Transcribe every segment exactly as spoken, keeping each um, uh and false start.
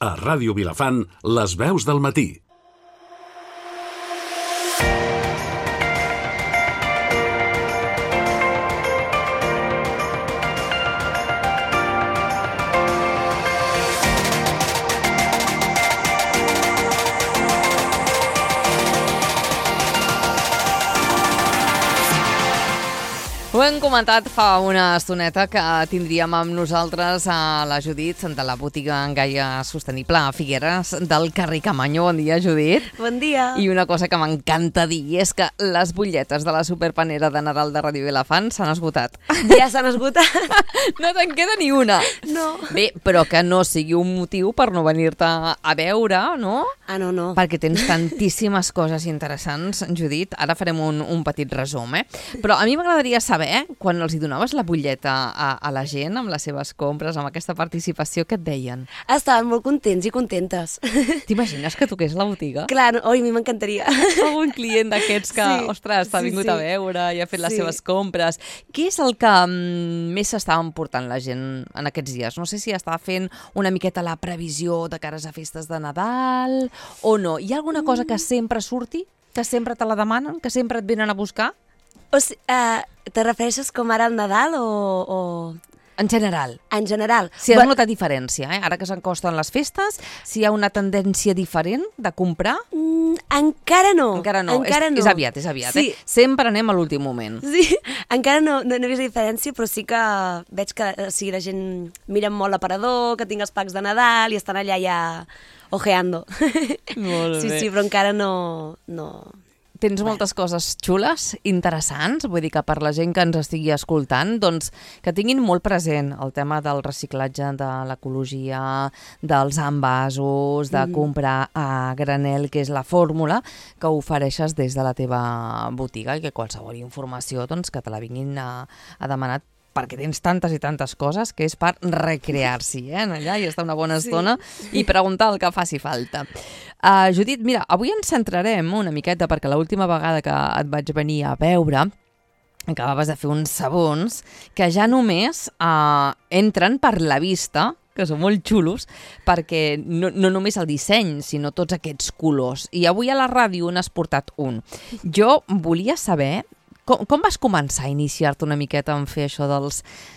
A Ràdio Vilafant, les veus del matí. Ho hem comentat fa una estoneta que tindríem amb nosaltres a la Judit de la botiga en Gaia Sostenible a Figueres del carrer Camanyo. Bon dia, Judit. Bon dia. I una cosa que m'encanta dir és que les butlletes de la superpanera de Nadal de Ràdio Vilafant s'han esgotat. Ja s'han esgotat? No te'n queda ni una. No. Bé, però que no sigui un motiu per no venir-te a veure, no? Ah, no, no. Perquè tens tantíssimes coses interessants, Judit. Ara farem un, un petit resum, eh? Però a mi m'agradaria saber, quan els hi donaves la butlleta a, a la gent, amb les seves compres, amb aquesta participació, què et deien? Estaven molt contents i contentes. T'imagines que toqués la botiga? Clar, no, oi, a mi m'encantaria. Algun client d'aquests que, Sí, ostres, t'ha sí, vingut sí. a veure i ha fet les Sí. seves compres. Què és el que mm, més s'estava emportant la gent en aquests dies? No sé si estava fent una miqueta la previsió de cares a festes de Nadal o no. Hi ha alguna cosa que sempre surti? Que sempre te la demanen? Que sempre et venen a buscar? O sigui, uh, te refereixes com ara al Nadal o, o... En general. En general? Si has Bé, notat diferència, eh? Ara que s'encosten les festes, si hi ha una tendència diferent de comprar? mm, encara no. Encara no, Encara és, no. és aviat, és aviat. Sí. Eh? Sempre anem a l'últim moment. Sí, encara no, no, no he vist diferència, però sí que veig que o sigui, la gent mira molt l'aparador, que tinc els packs de Nadal i estan allà ja ojeando. Molt Sí, bé. sí, però encara no... no... Tens moltes coses xules, interessants, vull dir que per la gent que ens estigui escoltant, doncs que tinguin molt present el tema del reciclatge, de l'ecologia, dels envasos, de comprar a granel, que és la fórmula que ofereixes des de la teva botiga i que qualsevol informació doncs, que te la vinguin a, a demanar perquè tens tantes i tantes coses que és per recrear-s'hi, eh, en allà i estar una bona estona i preguntar el que faci falta. Uh, Judit, mira, avui ens centrarem una miqueta perquè l'última vegada que et vaig venir a veure acabaves de fer uns sabons que ja només uh, entren per la vista, que són molt xulos, perquè no, no només el disseny, sinó tots aquests colors. I avui a la ràdio n'has portat un. Jo volia saber Com, com vas començar a iniciar-te una miqueta en fer això dels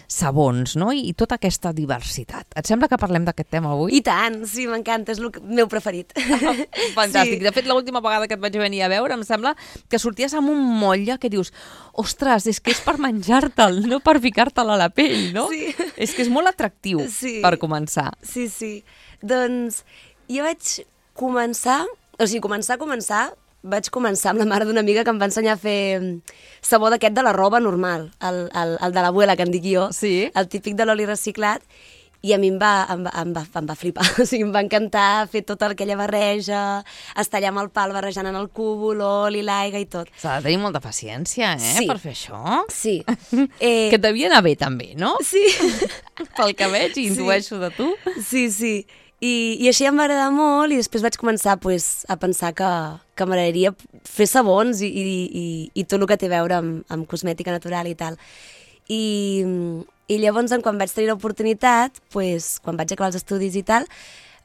sabons, no? I, i tota aquesta diversitat. Et sembla que parlem d'aquest tema avui? I tant, sí, m'encanta, és el que- meu preferit. Fantàstic. Sí. De fet, l'última vegada que et vaig venir a veure em sembla que sorties amb un motlle que dius ostres, és que és per menjar-te'l, no per ficar-te'l a la pell, no? Sí. És que és molt atractiu Sí. per començar. Sí, sí. Doncs jo vaig començar, o sigui, començar, començar, vaig començar amb la mare d'una amiga que em va ensenyar a fer mm, sabó d'aquest de la roba normal, el, el, el de l'abuela, que en dic jo, Sí. el típic de l'oli reciclat, i a mi em va, em va, em va, em va flipar, o sigui, em va encantar fer tota aquella barreja, estar allà amb el pal barrejant en el cubo, l'oli, l'aigua i tot. S'ha de tenir molta paciència, eh, Sí. per fer això. Sí. Eh, Que et devia anar bé, també, no? Sí. Pel que veig i intueixo de tu. Sí, sí. I, i així em va agradar molt i després vaig començar pues, a pensar que, que m'agradaria fer sabons i, i, i, i tot el que té a veure amb, amb cosmètica natural i tal. I, i llavors, quan vaig tenir l'oportunitat, pues, quan vaig acabar els estudis i tal,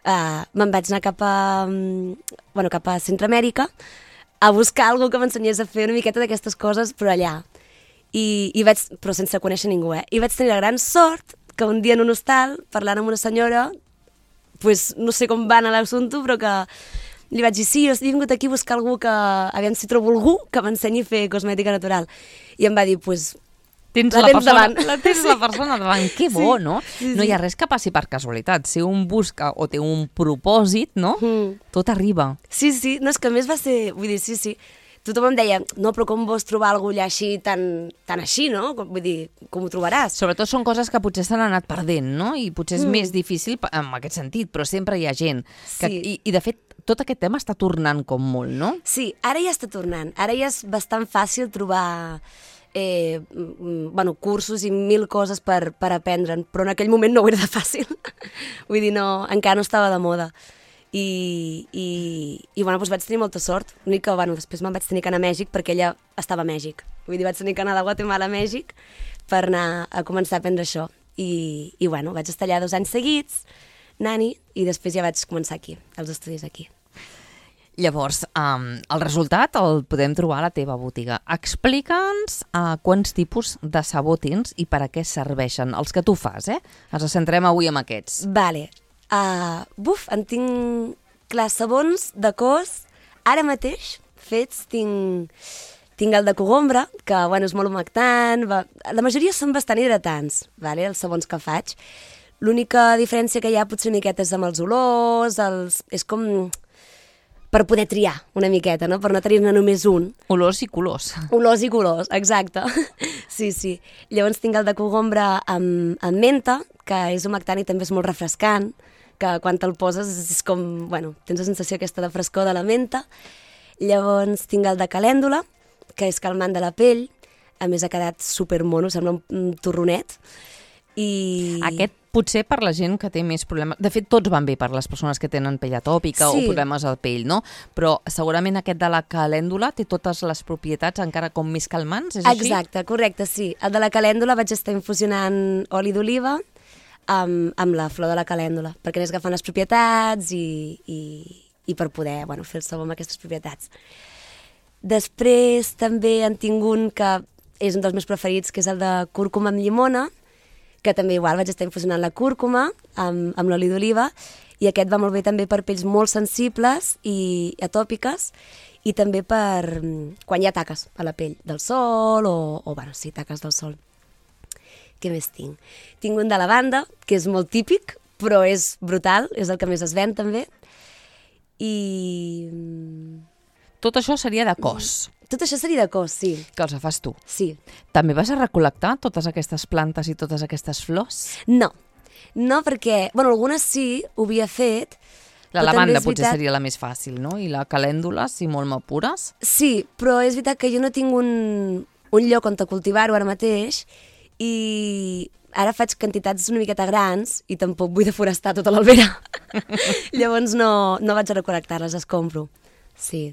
uh, me'n vaig anar cap a, bueno, cap a Centroamèrica a buscar algú que m'ensenyés a fer una miqueta d'aquestes coses, però allà. I, i vaig, però sense conèixer ningú, eh? I vaig tenir la gran sort que un dia en un hostal, parlant amb una senyora, pues, no sé com va anar l'assumpte, però que li vaig dir, sí, jo he vingut aquí a buscar algú que, aviam si trobo algú que m'ensenyi a fer cosmètica natural. I em va dir, pues, Tens La la, tens persona, davant. la tens la persona davant. Que bo, Sí, no? sí, No hi sí. ha res que passi per casualitat. Si un busca o té un propòsit, no? Mm. Tot arriba. Sí, sí, no, és que a més va ser, vull dir, sí, sí, tothom em deia, no, però com vols trobar algú allà així, tan, tan així, no? Com- Vull dir, com ho trobaràs? Sobretot són coses que potser s'han anat perdent, no? I potser és mm. més difícil pa- en aquest sentit, però sempre hi ha gent. Que, Sí. i, I, de fet, tot aquest tema està tornant com molt, no? Sí, ara ja està tornant. Ara ja és bastant fàcil trobar eh, mm, bueno, cursos i mil coses per, per aprendre'n, però en aquell moment no ho era de fàcil. Vull dir, no, encara no estava de moda. I, i, i bueno, doncs vaig tenir molta sort. L'únic que, bueno, després me'n vaig tenir que anar a Mèxic perquè ella estava a Mèxic. Vull dir, vaig tenir que anar de Guatemala a Mèxic per anar a començar a aprendre això. I, i bueno, vaig estar allà dos anys seguits, nani, i després ja vaig començar aquí, als estudis aquí. Llavors, um, el resultat el podem trobar a la teva botiga. Explica'ns uh, quants tipus de sabó tens i per a què serveixen, els que tu fas, eh? Ens centrem avui en aquests. Vale. Uh, buf, en tinc, clar, sabons de cos, ara mateix, fets, tinc, tinc el de cogombra, que, bueno, és molt humectant, va... la majoria són bastant hidratants, vale, els sabons que faig. L'única diferència que hi ha potser una miqueta és amb els olors, els... és com... per poder triar una miqueta, no? Per no tenir-ne només un. Olors i colors. Olors i colors, exacte. Sí, sí. Llavors tinc el de cogombra amb, amb menta, que és humectant i també és molt refrescant, que quan te'l poses és com, bueno, tens la sensació aquesta de frescor de la menta. Llavors tinc el de calèndula, que és calmant de la pell, a més ha quedat supermono, sembla un, un torronet. I... Aquest potser per la gent que té més problemes... De fet, tots van bé per les persones que tenen pell atòpica sí. o problemes al pell, no? Però segurament aquest de la calèndula té totes les propietats encara com més calmants, és així? Exacte, correcte, sí. El de la calèndula vaig estar infusionant oli d'oliva amb, amb la flor de la calèndula, perquè anés agafant les propietats i, i, i per poder, bueno, fer el sabó amb aquestes propietats. Després també en tinc un que és un dels meus preferits, que és el de cúrcuma amb llimona, que també igual vaig estar infusionant la cúrcuma amb, amb l'oli d'oliva, i aquest va molt bé també per pells molt sensibles i atòpiques, i també per quan hi ha taques a la pell del sol, o, o bueno, sí, taques del sol. Què més tinc? Tinc un de lavanda, que és molt típic, però és brutal, és el que més es ven també, i... Tot això seria de cos. Tot això seria de cos, sí. Que els fas tu. Sí. També vas a recol·lectar totes aquestes plantes i totes aquestes flors? No, no perquè, bueno, algunes sí, ho havia fet. La lavanda potser veritat... seria la més fàcil, no? I la calèndula, si molt m'apures? Sí, però és veritat que jo no tinc un, un lloc on cultivar-ho ara mateix, i ara faig quantitats una miqueta grans i tampoc vull deforestar tota l'albera. Llavors no, no vaig a recol·lectar-les, les compro. Sí,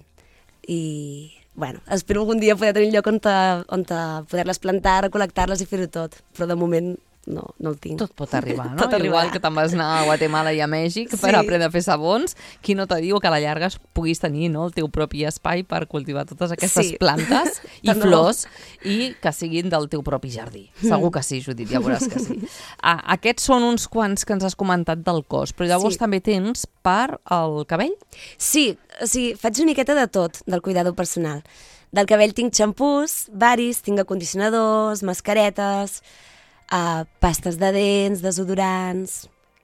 i... Bueno, espero algun dia poder tenir un lloc on, te, on te poder-les plantar, recol·lectar-les i fer-ho tot, però de moment no, no el tinc. Tot pot arribar, no? Tot Igual arribarà. que te'n vas anar a Guatemala i a Mèxic sí. per aprendre a fer sabons, qui no te diu que a la llarga puguis tenir, no, el teu propi espai per cultivar totes aquestes sí. plantes i flors i que siguin del teu propi jardí. Segur que sí, Judit, ja veuràs que sí. Ah, aquests són uns quants que ens has comentat del cos, però llavors sí. també tens per al cabell? Sí, o sigui, faig una miqueta de tot del cuidado personal. Del cabell tinc xampús, varis, tinc acondicionadors, mascaretes, uh, pastes de dents, desodorants,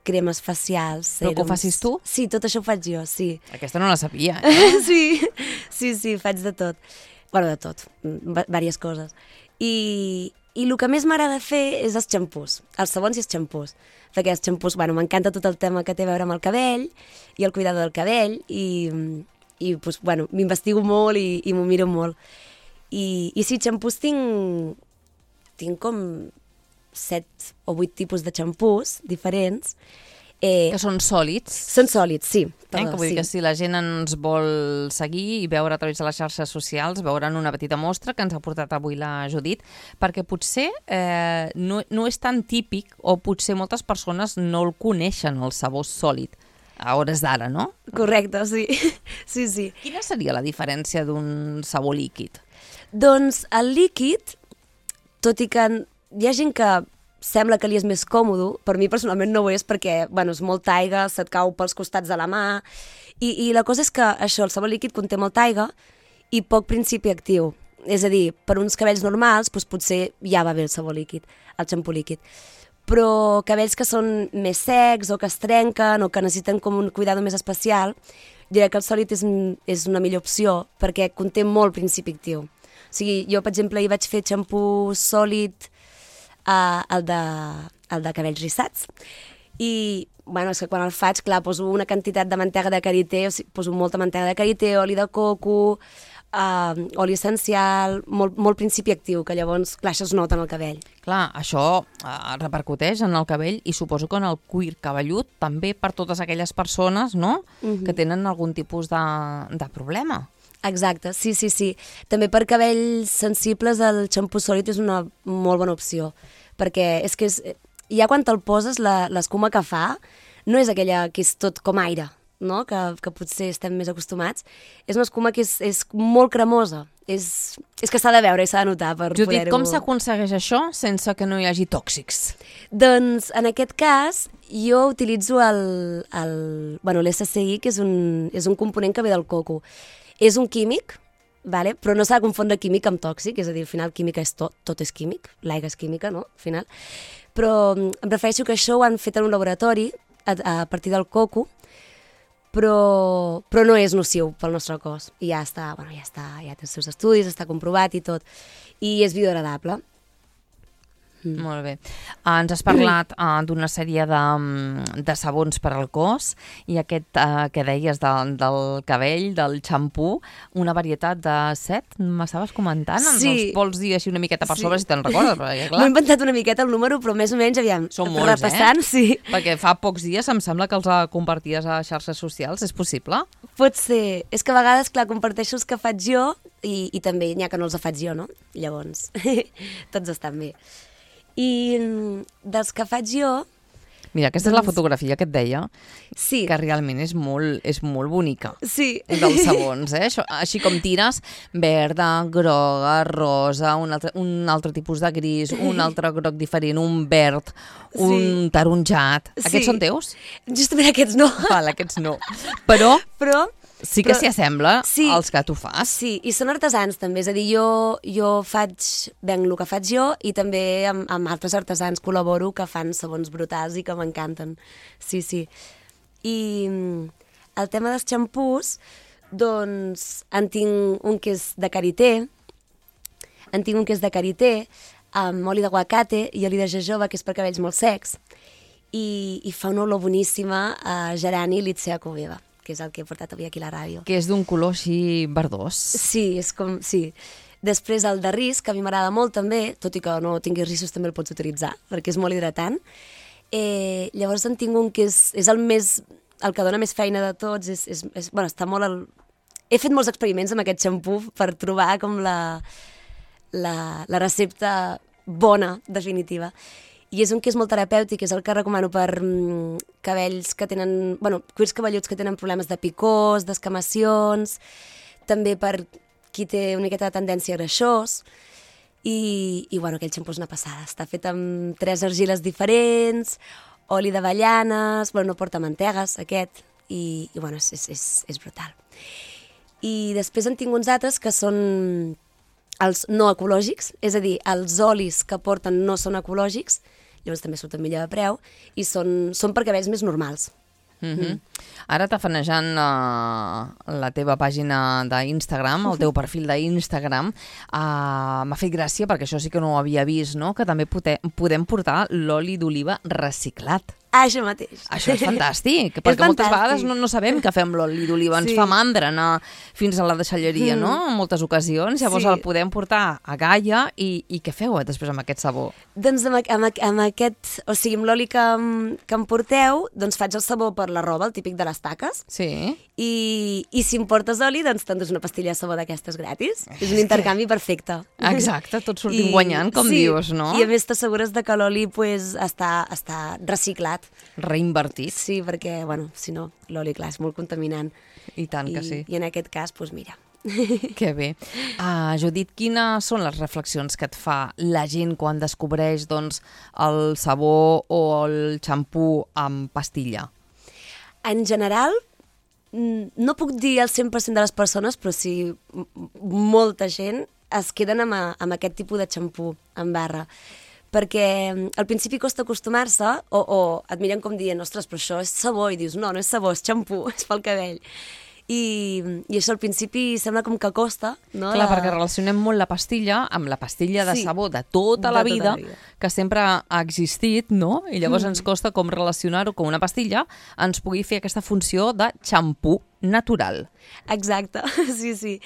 cremes facials, sèrums. Però que ho facis tu? Sí, tot això ho faig jo, sí. Aquesta no la sabia, eh? sí, sí, sí, faig de tot. Bueno, de tot, diverses coses. I, i el que més m'agrada fer és els xampús, els sabons i els xampús. Perquè els xampús, bueno, m'encanta tot el tema que té a veure amb el cabell i el cuidado del cabell, i... i pues, bueno, m'investigo molt i, i m'ho miro molt. I, i sí, xampús tinc, tinc com set o vuit tipus de xampús diferents. Eh, que són sòlids. Són sòlids, sí. Perdó, eh, que vull dir sí. que si la gent ens vol seguir i veure a través de les xarxes socials, veuran una petita mostra que ens ha portat avui la Judit, perquè potser eh, no, no és tan típic, o potser moltes persones no el coneixen, el sabó sòlid, a hores d'ara, no? Correcte, sí. sí, sí. Quina seria la diferència d'un sabó líquid? Doncs el líquid, tot i que hi ha gent que sembla que li és més còmode, per mi personalment no ho és perquè, bueno, és molta aigua, se't cau pels costats de la mà, i, i la cosa és que això, el sabó líquid conté molta aigua i poc principi actiu. És a dir, per uns cabells normals, doncs potser ja va bé el sabó líquid, el xampú líquid. Però cabells que són més secs o que es trenquen o que necessiten com un cuidado més especial, diré que el sòlid és, és una millor opció perquè conté molt principi actiu. O sigui, jo, per exemple, hi vaig fer xampú sòlid, uh, el, de, el de cabells rissats, i bueno, és que quan el faig, clar, poso una quantitat de mantega de karité, o sigui, poso molta mantega de karité, oli de coco, Uh, oli essencial, molt, molt principi actiu, que llavors, clar, això es nota en el cabell. Clar, això uh, repercuteix en el cabell i suposo que en el cuir cabellut també per totes aquelles persones, no?, uh-huh. que tenen algun tipus de, de problema. Exacte, sí, sí, sí. També per cabells sensibles el xampú sòlid és una molt bona opció, perquè és que és, ja quan te'l poses, l'escuma que fa, no és aquella que és tot com aire, no? que, que potser estem més acostumats. És una escuma que és, és molt cremosa. És, és que s'ha de veure i s'ha de notar per Judit, poder-ho... com s'aconsegueix això sense que no hi hagi tòxics? Doncs, en aquest cas, jo utilitzo el, el, bueno, l'S C I, que és un, és un component que ve del coco. És un químic, vale? Però no s'ha de confondre químic amb tòxic, és a dir, al final química és tot, tot és químic, l'aigua és química, no? Al final. Però em refereixo que això ho han fet en un laboratori a, a partir del coco, però, però no és nociu pel nostre cos. I ja està, bueno, ja està, ja té els seus estudis, està comprovat i tot. I és biodegradable. Mm. Molt bé. Uh, ens has parlat uh, d'una sèrie de, de sabons per al cos i aquest uh, que deies de, del cabell, del xampú, una varietat de set, m'estaves comentant? Sí. Ens els vols dir així una miqueta per Sí. sobre si te'n recordes? Perquè, clar, M'ho he inventat una miqueta el número, però més o menys, aviam, són molts, repassant, eh? sí. Perquè fa pocs dies em sembla que els uh, comparties a xarxes socials, és possible? Pot ser. És que a vegades, clar, comparteixo els que faig jo i, i també n'hi ha que no els faig jo, no? Llavors, tots estan bé. I dels que faig jo... Mira, aquesta doncs... és la Doncs- fotografia que et deia, Sí, que realment és molt, és molt bonica. sí. Dels sabons, eh? Això, així com tires, verda, groga, rosa, un altre, un altre tipus de gris, un altre groc diferent, un verd, un Sí. taronjat. Sí. Aquests són teus? Justament aquests no. Val, aquests no. Però Però... sí que Però- s'hi assembla Sí. als que tu fas. Sí, i són artesans també, és a dir, jo, jo faig, venc el que faig jo i també amb, amb altres artesans col·laboro que fan sabons brutals i que m'encanten. Sí, sí. I mm, el tema dels xampús, doncs en tinc un que és de karité, en tinc un que és de karité, amb oli d'aguacate i oli de jojoba, que és per cabells molt secs, i, i fa una olor boníssima a gerani i lítzea coveva, que és el que he portat avui aquí a la ràdio. Que és d'un color així verdós. Sí, és com... Sí. Després el de ris, que a mi m'agrada molt també, tot i que no tinguis rissos també el pots utilitzar, perquè és molt hidratant. Eh, llavors en tinc un que és, és el més... el que dona més feina de tots, és, és, és, bueno, està molt... El... He fet molts experiments amb aquest xampú per trobar com la, la, la recepta bona, definitiva. I és un que és molt terapèutic, és el que recomano per mm, cabells que tenen... Bueno, cuirs cabelluts que tenen problemes de picors, d'escamacions, també per qui té una miqueta de tendència a greixós. I, i bueno, aquell xampú és una passada. Està fet amb tres argiles diferents, oli d'avellanes, bueno, no porta mantegues, aquest, i, i bueno, és, és, és, és brutal. I després en tinc uns altres que són els no ecològics, és a dir, els olis que porten no són ecològics, llavors també surten millor de preu, i són, són per cabells més normals. Mm -hmm. Ara tafanejant uh, la teva pàgina d'Instagram, el teu perfil d'Instagram, uh, m'ha fet gràcia perquè això sí que no ho havia vist, no? Que també pote, podem portar l'oli d'oliva reciclat. Ah, això mateix. Això és fantàstic, perquè moltes fantàstic. vegades no, no sabem què fem l'oli d'oliva, ens Sí. fa mandra anar fins a la deixalleria, Mm. no? En moltes ocasions, llavors Sí. el podem portar a Gaia i, i què feu eh, després amb aquest sabó? Doncs amb, amb, amb aquest, o sigui, amb l'oli que, em- que em porteu, doncs faig el sabó per la roba, el típic de les taques, Sí. i, i si em portes oli, doncs t'endús una pastilla de sabó d'aquestes gratis. És un intercanvi perfecte. Exacte, tots sortim guanyant, com sí, dius, no? I a més t'assegures de que l'oli pues, està, està reciclat. Reinvertit. Sí, perquè, bueno, si no, l'oli, clar, és molt contaminant. I tant I, que sí. I en aquest cas, doncs mira. Que bé. Uh, Judit, quines són les reflexions que et fa la gent quan descobreix doncs, el sabó o el xampú amb pastilla? En general, mm, no puc dir el cent per cent de les persones, però sí m- molta gent es queden amb, a, amb aquest tipus de xampú en barra. Perquè mm, al principi costa acostumar-se o, o et miren com dient, ostres, però això és sabó, i dius, no, no és sabó, és xampú, és pel cabell. I, i això al principi sembla com que costa, no? Clar, La- perquè relacionem molt la pastilla amb la pastilla de Sí. sabó de tota De la tota vida, la vida. que sempre ha existit, no? I llavors Mm. ens costa com relacionar-ho com una pastilla ens pugui fer aquesta funció de xampú natural. Exacte, sí, sí.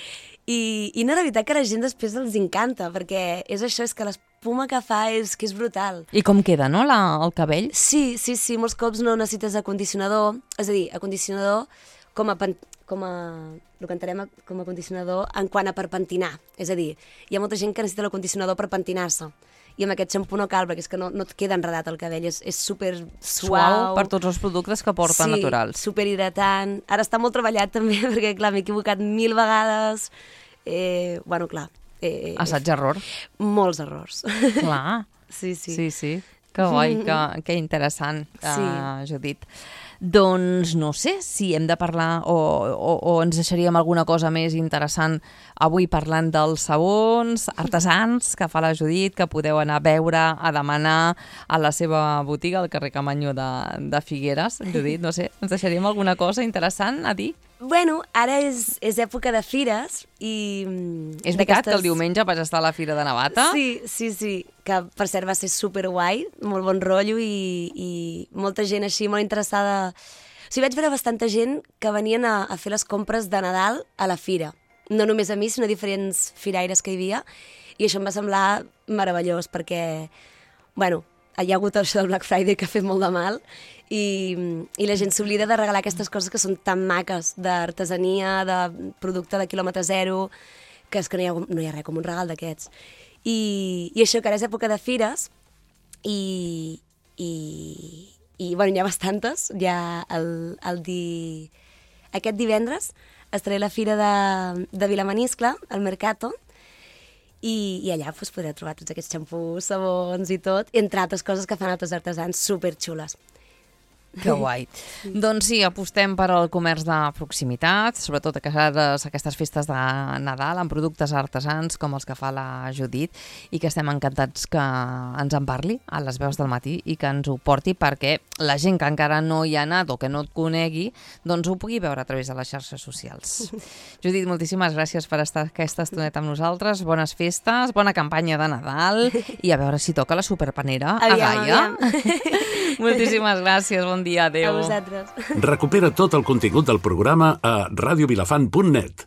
I, I no, la veritat que a la gent després els encanta, perquè és això, és que l'espuma que fa és que és brutal. I com queda, no, la, el cabell? Sí, sí, sí, molts cops no necessites acondicionador, és a dir, acondicionador com a, pen, com a el que entenem a- com a condicionador en quant a per pentinar. És a dir, hi ha molta gent que necessita l'acondicionador per pentinar-se. i amb aquest xampú no cal, perquè és que no, no et queda enredat el cabell, és, és super suau. Suau per tots els productes que porta sí, naturals. Sí, super hidratant. Ara està molt treballat també, perquè clar, m'he equivocat mil vegades. Eh, bueno, clar. Eh, Assaig-error. Molts errors. Clar. Sí, sí. Sí, sí. Que guai, que, que interessant, Sí. uh, Judit. Doncs no sé si hem de parlar o, o, o ens deixaríem alguna cosa més interessant avui parlant dels sabons artesans que fa la Judit, que podeu anar a veure, a demanar a la seva botiga al carrer Camanyo de, de Figueres. Judit, no sé, ens deixaríem alguna cosa interessant a dir? Bueno, ara és, és època de fires i... És veritat que el diumenge vas estar a la Fira de Navata? Sí, sí, sí, que per cert va ser superguai, molt bon rotllo i, i molta gent així molt interessada. O sigui, vaig veure bastanta gent que venien a, a fer les compres de Nadal a la fira. No només a mi, sinó a diferents firaires que hi havia, i això em va semblar meravellós perquè, bueno, hi ha hagut això del Black Friday que ha fet molt de mal i, i la gent s'oblida de regalar aquestes coses que són tan maques, d'artesania, de producte de quilòmetre zero, que és que no hi ha, no hi ha res com un regal d'aquests. I, I això, que ara és època de fires i, i, i bueno, n'hi ha bastantes. Hi ha el, el di... aquest divendres estaré a la fira de, de Vilamaniscle, al Mercato, i, i allà pues, podreu trobar tots aquests xampús, sabons i tot, entre altres coses que fan altres artesans superxules. Que guai. Doncs sí, apostem per al comerç de proximitat, sobretot aquestes, aquestes festes de Nadal amb productes artesans com els que fa la Judit, i que estem encantats que ens en parli a les veus del matí i que ens ho porti perquè la gent que encara no hi ha anat o que no et conegui, doncs ho pugui veure a través de les xarxes socials. Judit, moltíssimes gràcies per estar aquesta estoneta amb nosaltres. Bones festes, bona campanya de Nadal i a veure si toca la superpanera a Gaia. Moltíssimes gràcies, bon dia, adéu. A vosaltres. Recupera tot el contingut del programa a radiovilafant punt net.